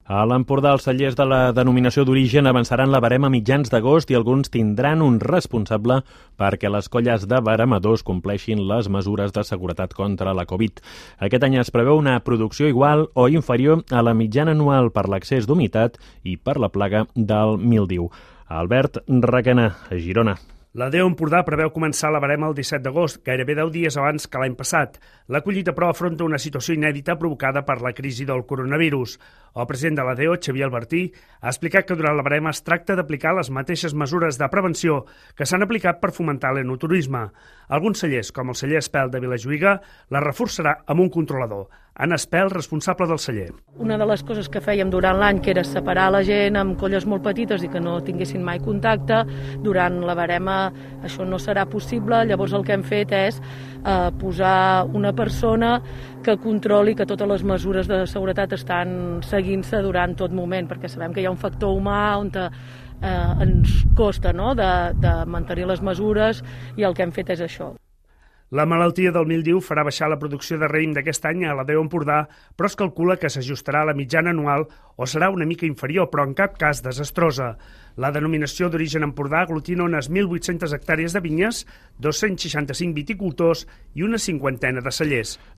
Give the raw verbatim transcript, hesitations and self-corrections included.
A l'Empordà, els cellers de la denominació d'origen avançaran la barema a mitjans d'agost i alguns tindran un responsable perquè les colles de veremadors compleixin les mesures de seguretat contra la Covid. Aquest any es preveu una producció igual o inferior a la mitjana anual per l'excés d'humitat i per la plaga del míldiu. Albert Requena, a Girona. La D E O Empordà preveu començar la barema el disset d'agost, gairebé deu dies abans que l'any passat. La collita, però, afronta una situació inèdita provocada per la crisi del coronavirus. El president de la D E O, Xavier Albertí, ha explicat que durant la barema es tracta d'aplicar les mateixes mesures de prevenció que s'han aplicat per fomentar l'enoturisme. Alguns cellers, com el celler Espel de Vilajuïga, la reforçarà amb un controlador. Anna Espel, responsable del celler. Una de les coses que fèiem durant l'any, que era separar la gent amb colles molt petites i que no tinguessin mai contacte, durant la barema això no serà possible, llavors el que hem fet és eh, posar una persona que controli que totes les mesures de seguretat estan seguint-se durant tot moment, perquè sabem que hi ha un factor humà on te, eh, ens costa, no?, de, de mantenir les mesures, i el que hem fet és això. La malaltia del míldiu farà baixar la producció de raïm d'aquest any a la D E O Empordà, però es calcula que s'ajustarà a la mitjana anual o serà una mica inferior, però en cap cas desastrosa. La denominació d'origen Empordà aglutina unes mil vuit-centes hectàrees de vinyes, dos-cents seixanta-cinc viticultors i una cinquantena de cellers.